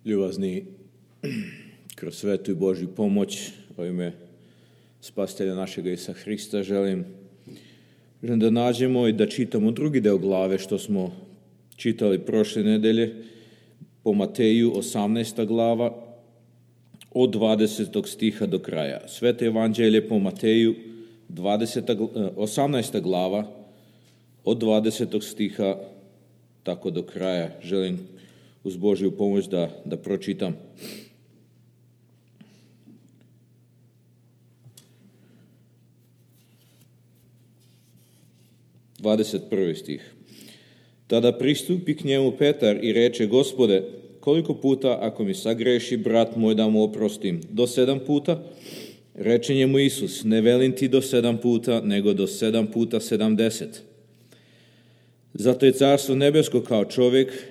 Ljubazni, kroz svetu i Božju pomoć u ime Spasitelja našega Isusa Hrista želim da nađemo i da čitamo drugi deo glave što smo čitali prošle nedelje po Mateju 18. glava od 20. stiha do kraja. Sveto evanđelje po Mateju 18. glava od 20. stiha tako do kraja. Želim uz Božju pomoć da pročitam. Prvi stih. Tada pristupi k njemu Petar i reče: Gospode, koliko puta ako mi sagreši brat moj da mu oprostim? Do 7 puta? Reče njemu Isus: ne velim ti do 7 puta, nego do 7 puta 70. Zato je carstvo nebesko kao čovjek,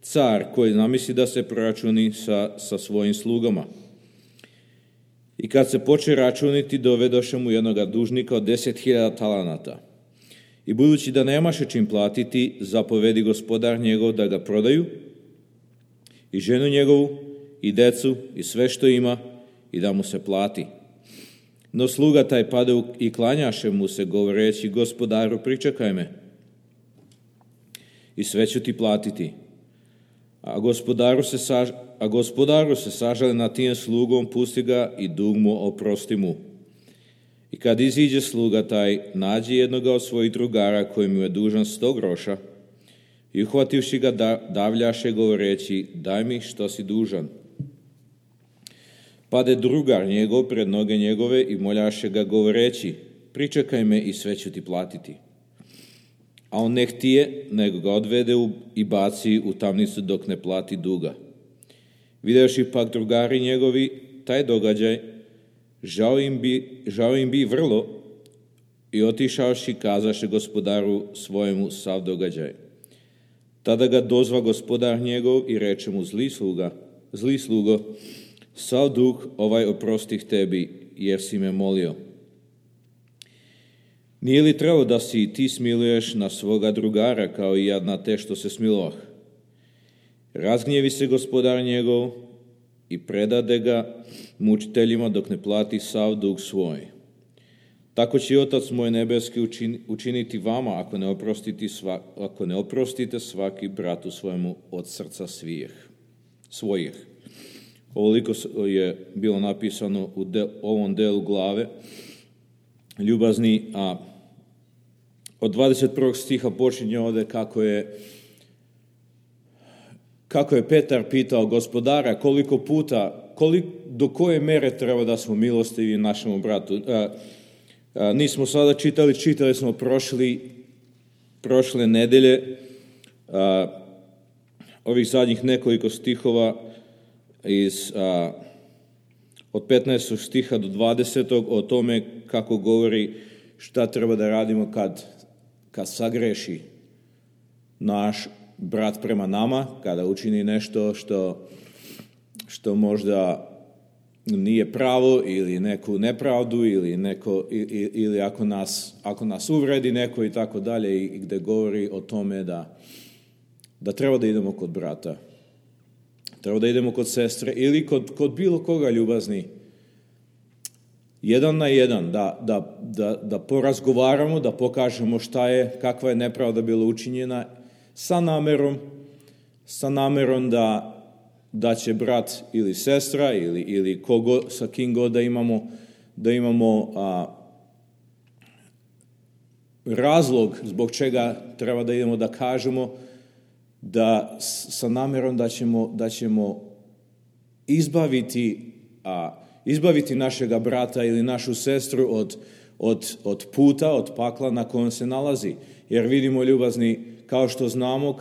car koji namisli da se proračuni sa svojim slugama. I kad se poče računiti, dovedoše mu jednoga dužnika od 10.000 talanata. I budući da nemaše čim platiti, zapovedi gospodar njegov da ga prodaju, i ženu njegovu, i decu, i sve što ima, i da mu se plati. No sluga taj pade i klanjaše mu se, govoreći: Gospodaru, pričekaj me, i sve ću ti platiti. A gospodaru se sažali nad tim slugom, pusti ga i dug mu oprosti mu. I kad iziđe sluga taj, nađe jednoga od svojih drugara koji mu je dužan 100 groša i uhvativši ga davljaše, govoreći: daj mi što si dužan. Pade drugar njegov pred noge njegove i moljaše ga, govoreći: pričekaj me i sve ću ti platiti. A on ne htije, nego ga odvede i baci u tamnicu dok ne plati duga. Videvši pak drugari njegovi taj događaj, žao im bi vrlo, i otišavši kazaše gospodaru svojemu sav događaj. Tada ga dozva gospodar njegov i reče mu: zli slugo, sav dug ovaj oprostih tebi, jer si me molio. Nije li trebalo da si ti smiluješ na svoga drugara kao i ja na te što se smilovah? Razgnjevi se gospodar njegov i predade ga mučiteljima dok ne plati sav dug svoj. Tako će Otac moj nebeski učiniti vama ako ne oprostite svaki bratu svojemu od srca svojih. Ovoliko je bilo napisano u ovom delu glave. Ljubazni, a od 21. stiha počinje ovdje kako je Petar pitao gospodara koliko puta, do koje mere treba da smo milostivi našemu bratu. Nismo sada čitali smo prošle nedelje ovih zadnjih nekoliko stihova od 15. stiha do 20. o tome kako govori šta treba da radimo kad sagreši naš brat prema nama, kada učini nešto što možda nije pravo ili neku nepravdu ili ako nas uvredi neko i tako dalje, i gde govori o tome da treba da idemo kod brata, treba da idemo kod sestre ili kod bilo koga, ljubazni, jedan na jedan, da porazgovaramo, da pokažemo kakva je nepravda bila učinjena, sa namerom da će brat ili sestra ili kogo, sa kim god da imamo razlog zbog čega treba da idemo da kažemo, da sa namerom da ćemo izbaviti našega brata ili našu sestru od puta, od pakla na kojem se nalazi. Jer vidimo, ljubazni, kao što znamo,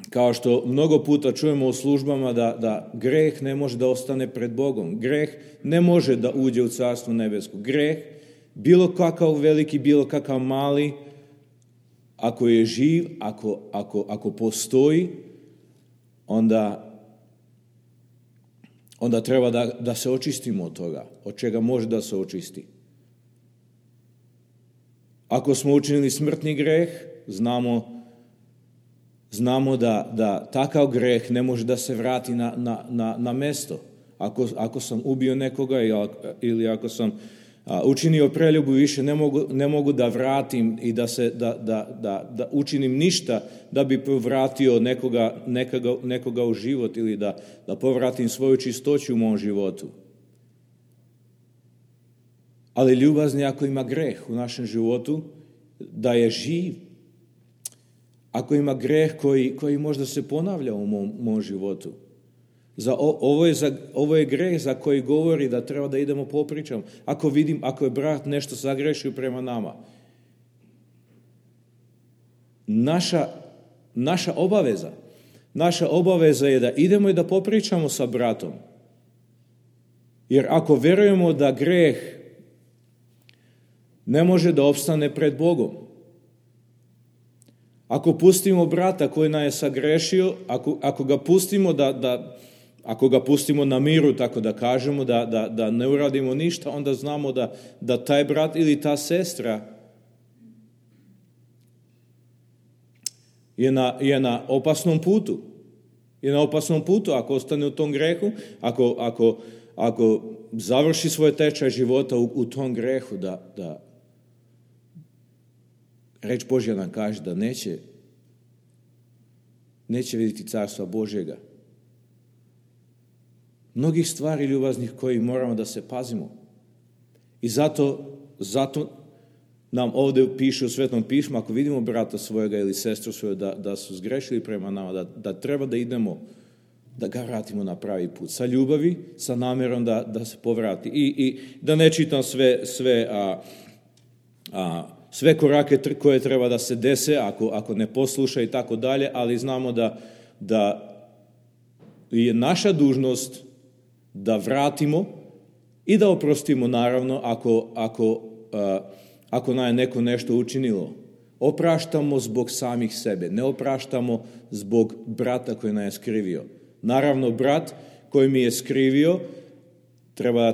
kao što mnogo puta čujemo u službama da greh ne može da ostane pred Bogom. Greh ne može da uđe u carstvo nebesko. Greh, bilo kakav veliki, bilo kakav mali, ako je živ, ako postoji, onda treba da se očistimo od toga, od čega može da se očisti. Ako smo učinili smrtni greh, znamo znamo da takav greh ne može da se vrati na mesto. Ako sam ubio nekoga ili ako sam učinio preljubu, više ne mogu da vratim i da učinim ništa da bi povratio nekoga u život ili da povratim svoju čistoću u mom životu. Ali ljubazni ako ima greh u našem životu, da je živ. Ako ima greh koji možda se ponavlja u mom životu. Ovo je greh za koji govori da treba da idemo popričam. Ako je brat nešto sagrešio prema nama. Naša obaveza je da idemo i da popričamo sa bratom. Jer ako verujemo da greh ne može da opstane pred Bogom, ako pustimo brata koji nas je sagrešio, ako ga pustimo ako ga pustimo na miru, tako da kažemo, da ne uradimo ništa, onda znamo da taj brat ili ta sestra je na opasnom putu. Je na opasnom putu ako ostane u tom grehu, ako završi svoj tečaj života u tom grehu, da reč Božja nam kaže da neće vidjeti carstva Božjega. Mnogih stvari ljubaznih koji moramo da se pazimo. I zato nam ovdje piše u Svetom pismu, ako vidimo brata svojega ili sestru svoju da su zgrešili prema nama, da treba da idemo, da ga vratimo na pravi put. Sa ljubavi, sa namjerom da se povrati. I da ne čitam sve korake koje treba da se dese, ako ne posluša i tako dalje, ali znamo da je naša dužnost da vratimo i da oprostimo, naravno, ako nam je neko nešto učinilo. Opraštamo zbog samih sebe, ne opraštamo zbog brata koji nam je skrivio. Naravno, brat koji mi je skrivio treba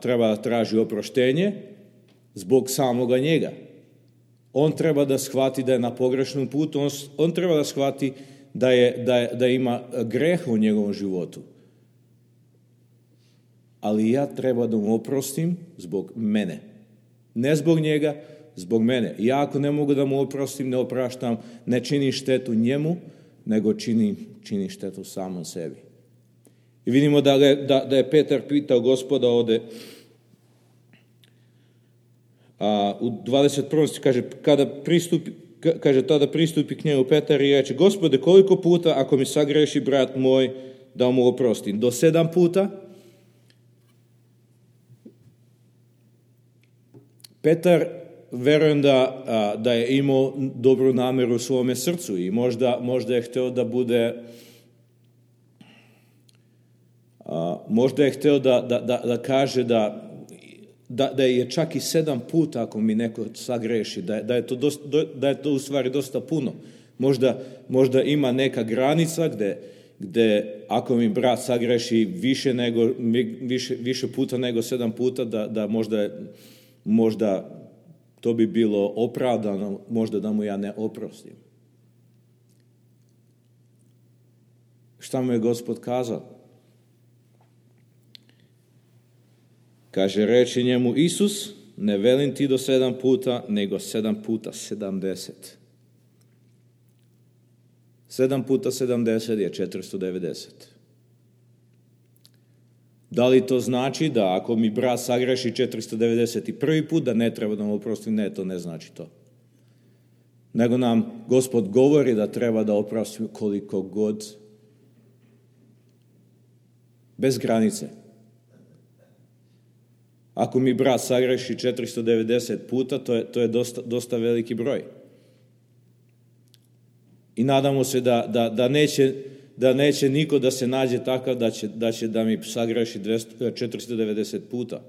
da traži oproštenje zbog samoga njega. On treba da shvati da je na pogrešnom putu, on treba da shvati da ima greh u njegovom životu. Ali ja treba da mu oprostim zbog mene. Ne zbog njega, zbog mene. Ja ako ne mogu da mu oprostim, ne opraštam, ne činim štetu njemu, nego činim štetu samom sebi. I vidimo da je Petar pitao Gospoda ovde, u 21. kaže, tada pristupi k njemu Petar i reče, Gospode, koliko puta ako mi sagreši brat moj, da mu oprostim? Do 7 puta? Petar, verujem da je imao dobru nameru u svome srcu i možda je hteo da bude, možda je hteo da kaže da je čak i 7 puta ako mi neko sagreši, da je to u stvari dosta puno. Možda ima neka granica gde ako mi brat sagreši više puta nego 7 puta, da možda to bi bilo opravdano, možda da mu ja ne oprostim. Šta mu je Gospod kazao? Kaže, reče njemu Isus, ne velim ti do 7 puta, nego 7 puta 70. 7 puta 70 je 490. Da li to znači da ako mi brat sagreši 491. put, da ne treba da mu oprostim? Ne, to ne znači to. Nego nam Gospod govori da treba da oprostimo koliko god, bez granice. Ako mi brat sagreši 490 puta, to je dosta veliki broj. I nadamo se da neće niko da se nađe takav da će da mi sagreši 490 puta.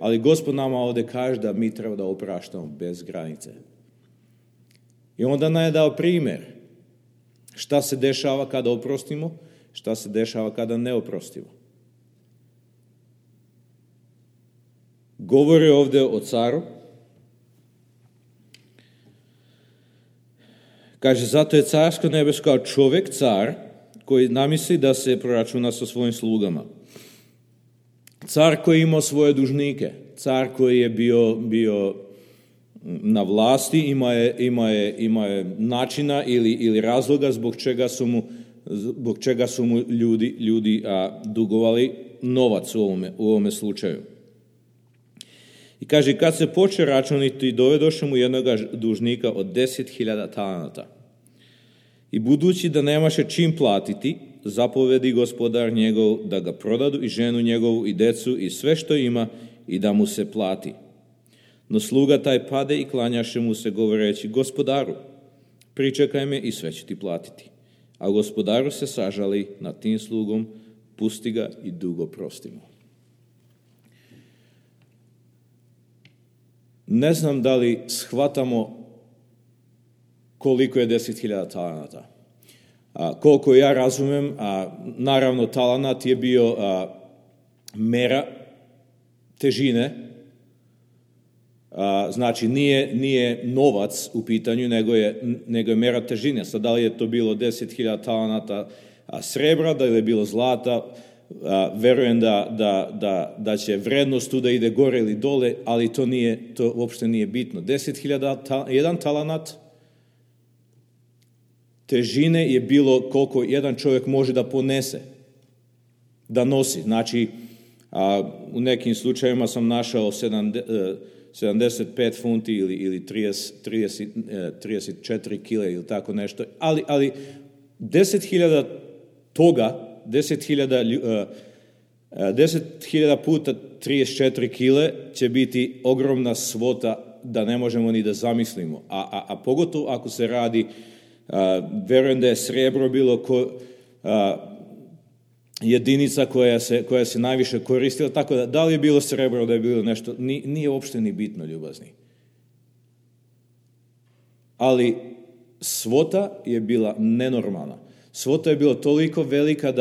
Ali Gospod nama ovde kaže da mi treba da opraštamo bez granice. I onda nam je dao primjer. Šta se dešava kada oprostimo, šta se dešava kada ne oprostimo. Govori ovde o caru Kaže, zato je carsko nebesko kao čovjek, car, koji namisli da se proračuna sa svojim slugama. Car koji je imao svoje dužnike, car koji je bio na vlasti, ima je načina ili razloga zbog čega su mu ljudi dugovali novac u ovome slučaju. I kaže, kad se poče računiti, dovedoše mu jednog dužnika od 10.000 talenata. I budući da nemaše čim platiti, zapovedi gospodar njegov da ga prodadu i ženu njegovu i decu i sve što ima i da mu se plati. No sluga taj pade i klanjaše mu se govoreći, gospodaru, pričekaj me i sve ću ti platiti. A gospodaru se sažali nad tim slugom, pusti ga i dugo prostimo. Ne znam da li shvatamo koliko je 10.000 talenata. Koliko ja razumem, naravno talenat je bio mera težine, znači nije novac u pitanju, nego je mera težine. Sad da li je to bilo 10.000 talenata srebra, da li je bilo zlata, verujem da će vrednost tu da ide gore ili dole, ali to uopšte nije bitno. 10.000, jedan talenat težine je bilo koliko jedan čovjek može da ponese, da nosi. Znači, u nekim slučajevima sam našao 75 funti ili 34 kile ili tako nešto, ali 10.000 toga, 10.000 puta 34 kile će biti ogromna svota da ne možemo ni da zamislimo. A pogotovo ako se radi, verujem da je srebro bilo jedinica koja se najviše koristila, tako da li je bilo srebro, da je bilo nešto, nije uopšte ni bitno, ljubazni. Ali svota je bila nenormalna. Svota je bila toliko velika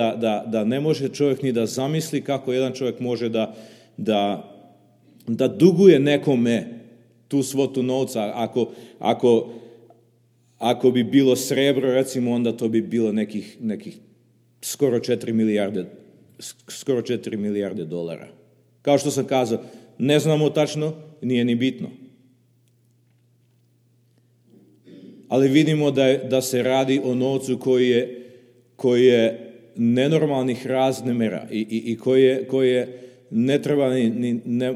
da ne može čovjek ni da zamisli kako jedan čovjek može da duguje nekome tu svotu novca. Ako bi bilo srebro, recimo, onda to bi bilo nekih skoro 4 milijarde dolara. Kao što sam kazao, ne znamo tačno, nije ni bitno. Ali vidimo da se radi o novcu koji je nenormalnih razmjera i koje ne treba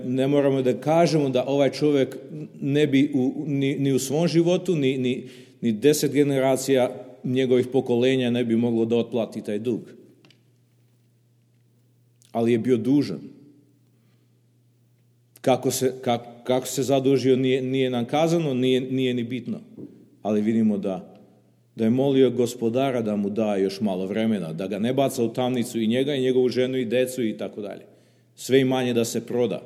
ne moramo da kažemo da ovaj čovjek ne bi ni u svom životu, ni 10 generacija njegovih pokolenja ne bi moglo da otplati taj dug. Ali je bio dužan. Kako se zadužio nije nam kazano, nije ni bitno. Ali vidimo da je molio gospodara da mu da još malo vremena, da ga ne baca u tamnicu i njega i njegovu ženu i decu i tako dalje. Sve imanje da se proda,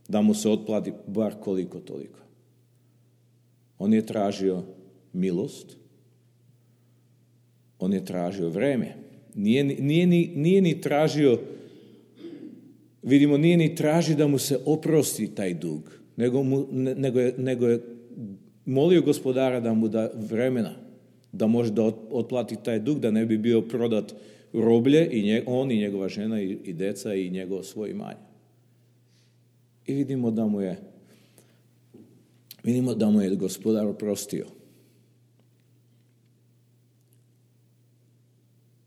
da mu se otplati bar koliko toliko. On je tražio milost, on je tražio vreme. Nije ni tražio, vidimo, nije ni tražio da mu se oprosti taj dug, nego je molio gospodara da mu da vremena, da može da otplati taj dug, da ne bi bio prodat roblje, on i njegova žena i deca i njegovo svoje imanje. I vidimo da mu je gospodar oprostio.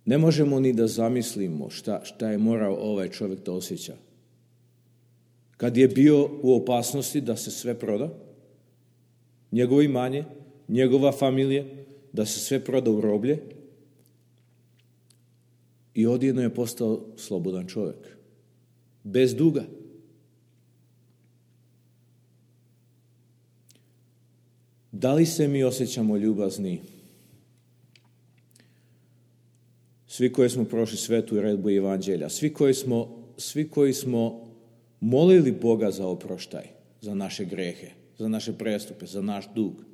Ne možemo ni da zamislimo šta je morao ovaj čovjek da osjeća. Kad je bio u opasnosti da se sve proda, njegovo imanje, njegova familija, da se sve proda u roblje, i odjedno je postao slobodan čovjek. Bez duga. Da li se mi osjećamo ljubazni? Svi koji smo prošli svetu redbu evanđelja, svi koji smo molili Boga za oproštaj, za naše grehe, za naše prestupe, za naš dug.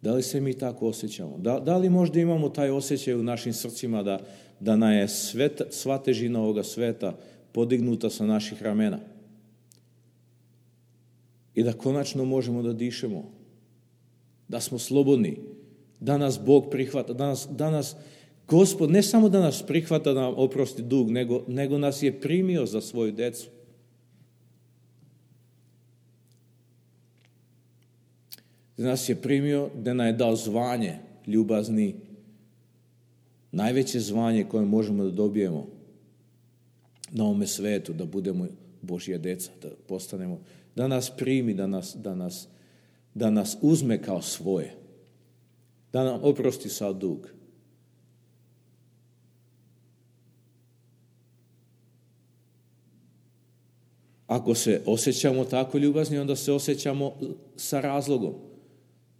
Da li se mi tako osjećamo? Da li možda imamo taj osjećaj u našim srcima da nam je sva težina ovoga sveta podignuta sa naših ramena? I da konačno možemo da dišemo. da smo slobodni, da nas Bog prihvata, da nas Gospod ne samo da nas prihvata da nam oprosti dug, nego nas je primio za svoju decu. Da nas je primio, da nam je dao zvanje ljubazni, najveće zvanje koje možemo da dobijemo na ovome svetu, da budemo Božja deca, da postanemo, da nas primi, da nas uzme kao svoje, da nam oprosti sav dug. Ako se osjećamo tako ljubazni, onda se osjećamo sa razlogom.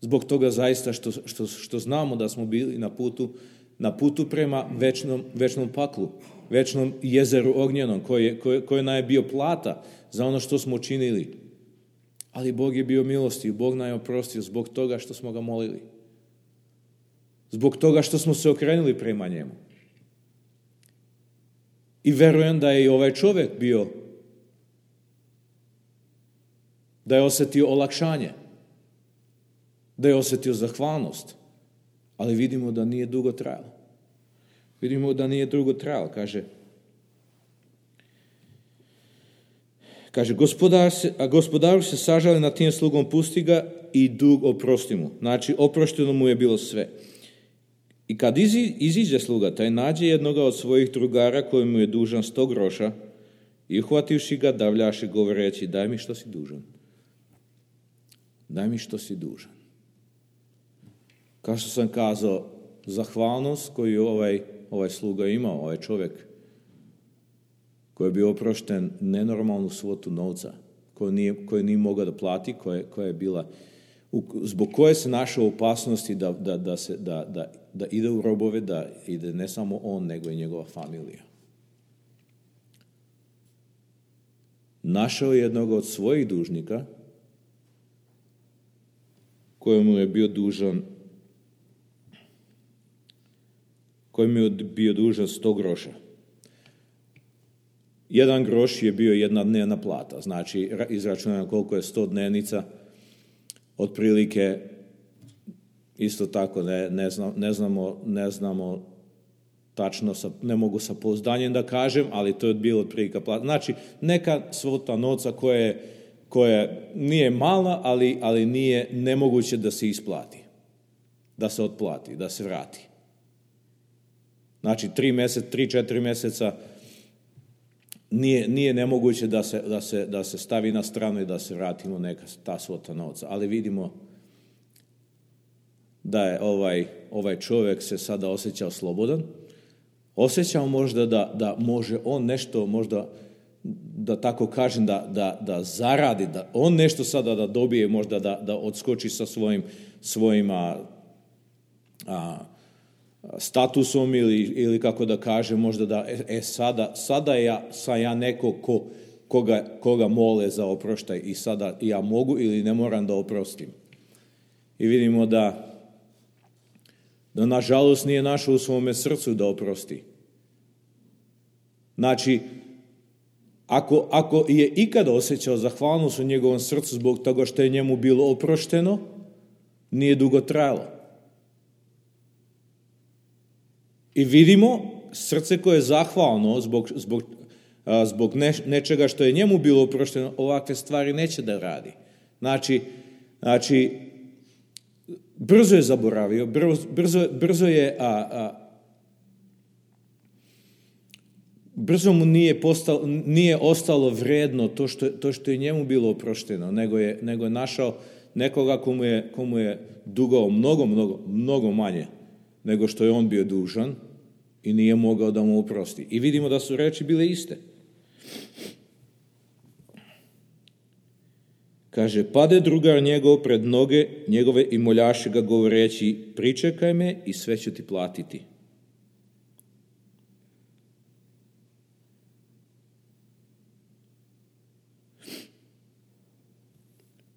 Zbog toga zaista što znamo da smo bili na putu prema večnom paklu, večnom jezeru ognjenom, koji nam je bio plata za ono što smo učinili. Ali Bog je bio milostiv, Bog nam je oprostio zbog toga što smo ga molili. Zbog toga što smo se okrenuli prema njemu. I verujem da je i ovaj čovjek bio, da je osjetio olakšanje, da je osjetio zahvalnost, ali vidimo da nije dugo trajalo. Kaže, gospodaru se sažali nad tim slugom, pusti ga i dug oprosti mu. Znači, oprošteno mu je bilo sve. I kad iziđe sluga, taj nađe jednoga od svojih drugara koji mu je dužan 100 groša i uhvativši ga, davljaše govoreći, daj mi što si dužan. Daj mi što si dužan. Kao što sam kazao, zahvalnost koju ovaj sluga imao, ovaj čovjek, koji je bio oprošten nenormalnu svotu novca, koju nije mogao da plati, koja je bila, zbog koje se našao u opasnosti da ide u robove, da ide ne samo on, nego i njegova familija. Našao je jednog od svojih dužnika, kojemu je bio dužan 100 groša. 1 groš je bio 1 dnevna plata, znači izračunano koliko je 100 dnevnica, otprilike isto tako ne znamo tačno, ne mogu sa pouzdanjem da kažem, ali to je bilo otprilike plata. Znači neka svota novca koja nije mala, ali nije nemoguće da se isplati, da se otplati, da se vrati. Znači 3-4 mjeseca nije nemoguće da se stavi na stranu i da se vratimo neka ta svota novca. Ali vidimo da je ovaj čovjek se sada osjećao slobodan. Osjećao možda da može on nešto, možda da tako kažem, da zaradi, da on nešto sada da dobije, možda da odskoči sa svojim statusom ili kako da kažem, možda da sada sam ja neko koga mole za oproštaj i sada ja mogu ili ne moram da oprostim. I vidimo da nažalost nije našao u svome srcu da oprosti. Znači, ako je ikada osjećao zahvalnost u njegovom srcu zbog toga što je njemu bilo oprošteno, nije dugo trajalo. I vidimo srce koje je zahvalno zbog nečega što je njemu bilo oprošteno, ovakve stvari neće da radi. Znači brzo je zaboravio, brzo mu nije ostalo vrijedno to što je njemu bilo oprošteno, nego je našao nekoga komu je dugao mnogo manje nego što je on bio dužan i nije mogao da mu oprosti. I vidimo da su reči bile iste. Kaže, pade drugar njegov pred noge njegove i moljaše ga govoreći, pričekaj me i sve ću ti platiti.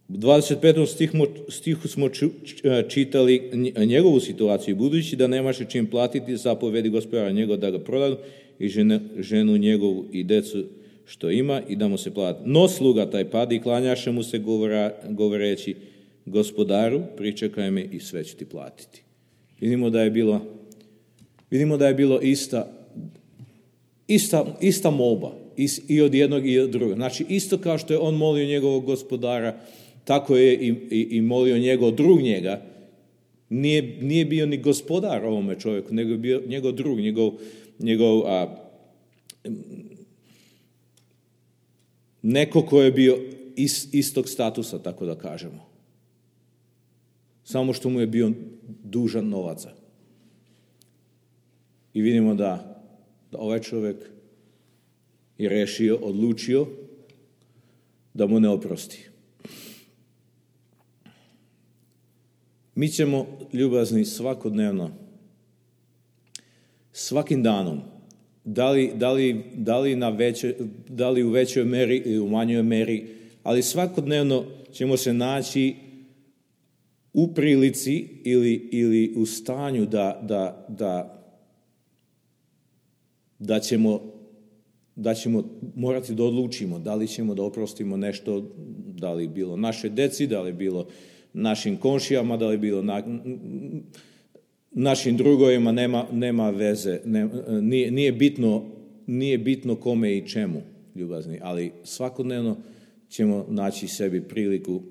U 25. stihu smo čitali njegovu situaciju. Budući da nemaše čim platiti, zapovedi gospodara njegov da ga prodaju i ženu njegovu i decu što ima i da mu se plati. No sluga taj padi i klanjaše mu se govoreći, Gospodaru, pričekaj me i sve ću ti platiti. Vidimo da je bilo ista molba i od jednog i od drugog. Znači, isto kao što je on molio njegovog gospodara, tako je i molio njegov drug njega. Nije bio ni gospodar ovome čovjeku, nego je bio njegov drug, njegov neko ko je bio istog statusa, tako da kažemo. Samo što mu je bio dužan novaca. I vidimo da ovaj čovjek je rešio, odlučio da mu ne oprosti. Mi ćemo, ljubazni, svakodnevno, svakim danom, da li u većoj meri ili u manjoj meri, ali svakodnevno ćemo se naći u prilici ili u stanju da ćemo morati da odlučimo da li ćemo da oprostimo nešto, da li bilo naše deci, da li bilo našim komšijama, da li bilo našim drugovima, nema veze, nije bitno kome i čemu, ljubazni, ali svakodnevno ćemo naći sebi priliku,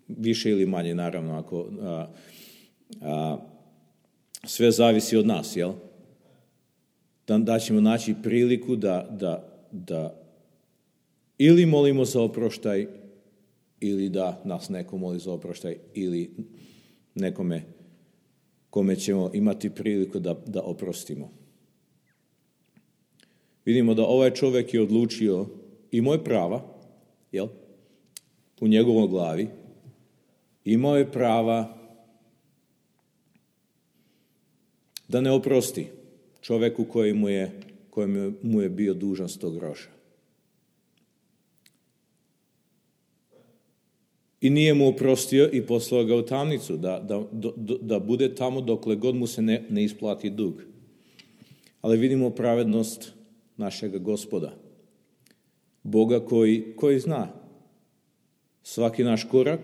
više ili manje, naravno, ako sve zavisi od nas, jel? Da ćemo naći priliku da ili molimo za oproštaj, ili da nas neko moli za oproštaj, ili nekome kome ćemo imati priliku da oprostimo. Vidimo da ovaj čovjek je odlučio, imao je prava, jel? U njegovoj glavi, imao je prava da ne oprosti čovjeku koji mu je bio dužan 100 groša. I nije mu oprostio i poslao ga u tamnicu, da bude tamo dokle god mu se ne isplati dug. Ali vidimo pravednost našega Gospoda, Boga koji zna svaki naš korak,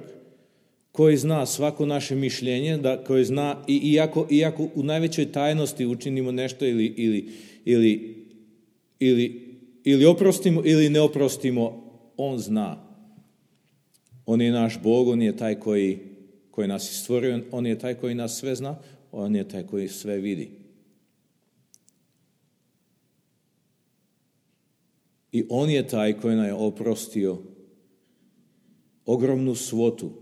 koji zna svako naše mišljenje, koji zna, iako u najvećoj tajnosti učinimo nešto ili oprostimo ili ne oprostimo, on zna. On je naš Bog, on je taj koji nas je stvorio, on je taj koji nas sve zna, on je taj koji sve vidi. I on je taj koji nam je oprostio ogromnu svotu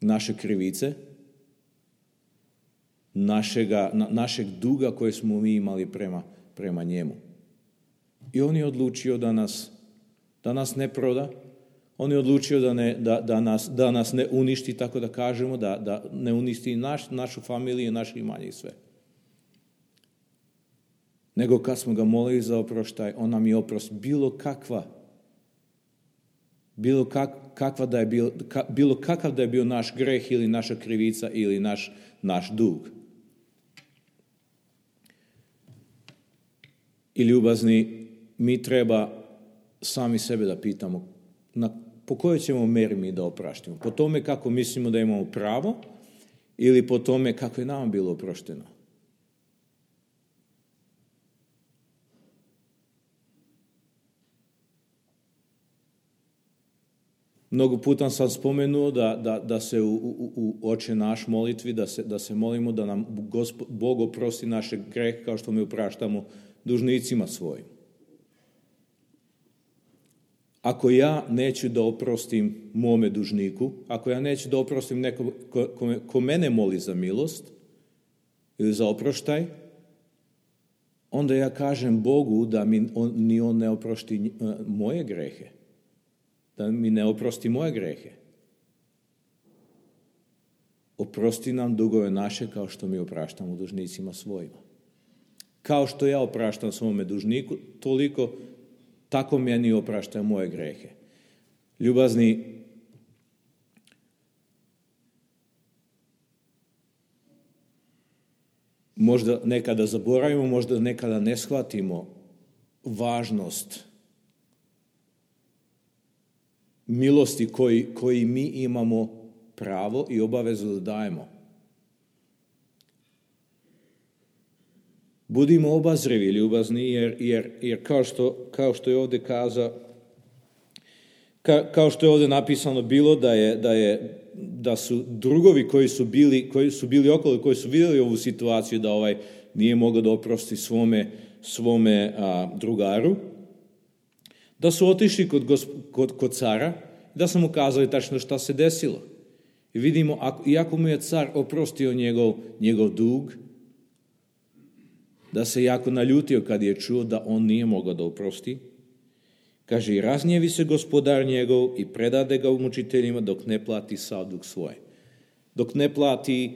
naše krivice, našeg duga koje smo mi imali prema njemu. I on je odlučio da nas ne proda, on je odlučio da nas ne uništi, tako da kažemo, da ne uništi našu familiju, naše imanje i sve. Nego kad smo ga molili za oproštaj, on nam je oprost bilo kakav da je bio naš greh ili naša krivica ili naš dug. I ljubazni, mi treba sami sebe da pitamo po kojoj ćemo meri mi da opraštimo. Po tome kako mislimo da imamo pravo ili po tome kako je nama bilo oprošteno. Mnogo puta sam spomenuo da se u Oče naš molitvi, da se molimo da nam Bog oprosti naše greh kao što mi opraštamo dužnicima svojim. Ako ja neću da oprostim mome dužniku, ako ja neću da oprostim nekom ko mene moli za milost ili za oproštaj, onda ja kažem Bogu da ni on ne oprosti moje grehe. Da mi ne oprosti moje grehe. Oprosti nam dugove naše kao što mi opraštamo dužnicima svojima. Kao što ja opraštam svome dužniku, tako meni opraštaj moje grehe. Ljubazni, možda nekada zaboravimo, možda nekada ne shvatimo važnost milosti koji mi imamo pravo i obavezu da dajemo. Budimo obazrivi, ljubazni, jer kao što je ovdje kao što je ovdje napisano bilo da su drugovi koji su bili okolo, koji su vidjeli ovu situaciju da ovaj nije mogao da oprosti svome drugaru, da su otišli kod cara, da su mu kazali tačno šta se desilo. I vidimo, iako mu je car oprostio njegov dug, da se jako naljutio kad je čuo da on nije mogao da oprosti. Kaže, i raznjevi se gospodar njegov i predade ga mučiteljima dok ne plati sav dug svoj. Dok ne plati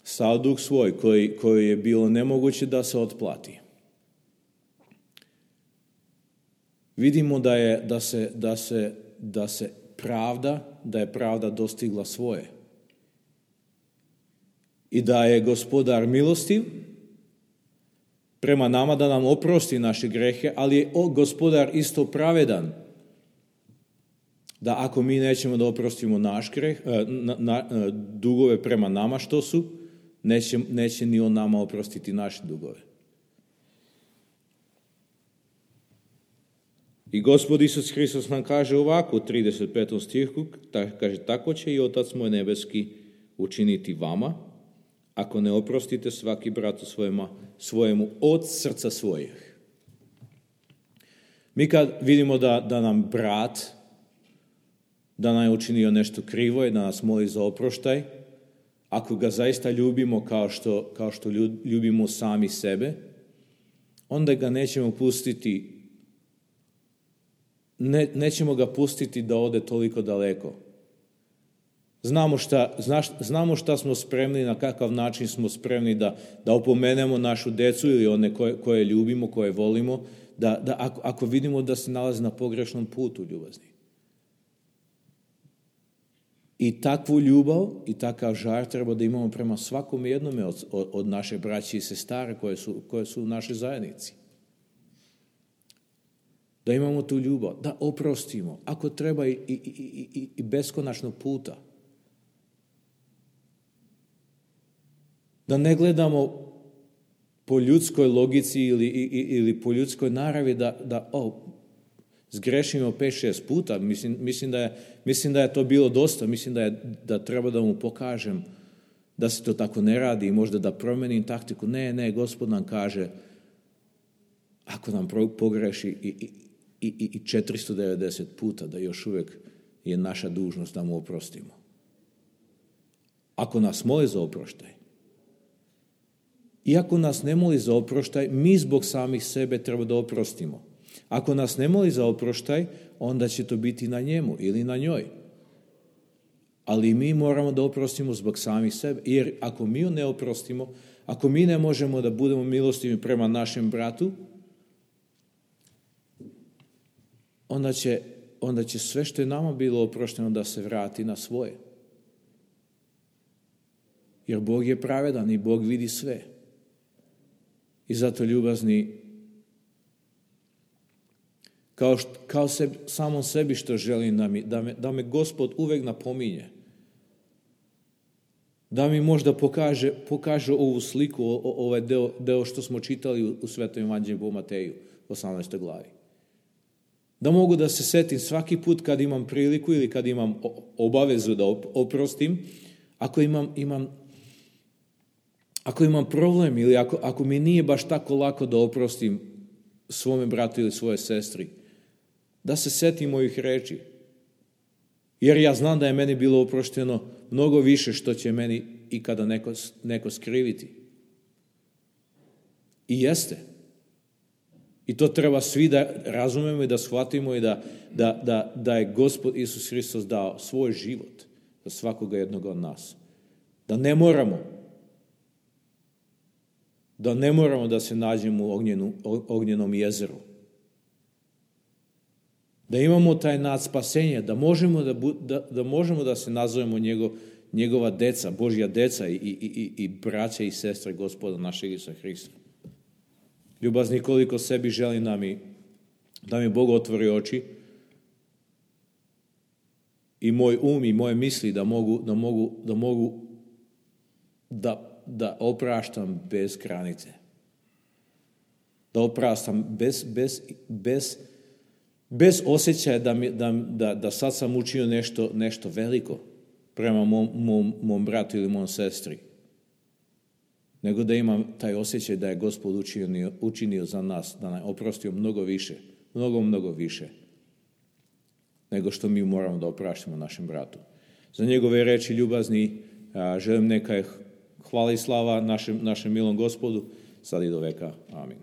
sav dug svoj koji je bilo nemoguće da se otplati. Vidimo da je pravda dostigla svoje. I da je gospodar milostiv prema nama da nam oprosti naše grehe, ali je gospodar isto pravedan. Da ako mi nećemo da oprostimo naš greh, dugove prema nama što su, neće ni on nama oprostiti naše dugove. I Gospod Isus Hristos nam kaže ovako u 35. stihu, kaže, tako će i Otac moj nebeski učiniti vama, ako ne oprostite svaki bratu svojemu od srca svojih. Mi kad vidimo da nam brat, da nam je učinio nešto krivo i da nas moli za oproštaj, ako ga zaista ljubimo kao što ljubimo sami sebe, onda ga nećemo pustiti, nećemo ga pustiti da ode toliko daleko. Znamo šta smo spremni, na kakav način smo spremni da opomenemo našu decu ili one koje ljubimo, koje volimo, ako vidimo da se nalaze na pogrešnom putu, ljubazni. I takvu ljubav i takav žar treba da imamo prema svakom jednome od naše braće i sestara koje su u našoj zajednici. Da imamo tu ljubav, da oprostimo, ako treba i beskonačno puta. Da ne gledamo po ljudskoj logici ili po ljudskoj naravi da zgrešimo 5-6 puta. Mislim da je to bilo dosta. Mislim da treba da mu pokažem da se to tako ne radi i možda da promenim taktiku. Ne, Gospod nam kaže ako nam pogreši i 490 puta da još uvijek je naša dužnost da mu oprostimo. Ako nas moli za oproštaj, iako nas ne moli za oproštaj, mi zbog samih sebe treba da oprostimo. Ako nas ne moli za oproštaj, onda će to biti na njemu ili na njoj. Ali mi moramo da oprostimo zbog samih sebe. Jer ako mi ne oprostimo, ako mi ne možemo da budemo milostivi prema našem bratu, onda će sve što je nama bilo oprošteno da se vrati na svoje. Jer Bog je pravedan i Bog vidi sve. I zato, ljubazni, kao samom sebi što želim da me Gospod uvek napominje. Da mi možda pokaže ovu sliku, ovaj deo što smo čitali u Svetom evanđelju po Mateju, 18. glavi. Da mogu da se setim svaki put kad imam priliku ili kad imam obavezu da oprostim, ako imam problem ili ako mi nije baš tako lako da oprostim svome bratu ili svoje sestri, da se setim mojih reči. Jer ja znam da je meni bilo oprošteno mnogo više što će meni ikada neko skriviti. I jeste. I to treba svi da razumemo i da shvatimo i da je Gospod Isus Hristos dao svoj život za svakoga jednog od nas. Da ne moramo da se nađemo u ognjenom jezeru. Da imamo taj nad spasenje, da možemo da se nazovemo njegova deca, Božja deca i braća i sestre Gospoda našeg Isusa Hrista. Ljubazni, koliko sebi želim da mi Bog otvori oči, i moj um i moje misli da opraštam bez granice. Da opraštam bez osjećaja da sad sam učinio nešto veliko prema mom bratu ili mom sestri. Nego da imam taj osjećaj da je Gospod učinio za nas, da nam oprostio mnogo više, mnogo više, nego što mi moramo da opraštamo našem bratu. Za njegove reči ljubazni želim neka hvala i slava našem milom Gospodu, sad i do veka. Amin.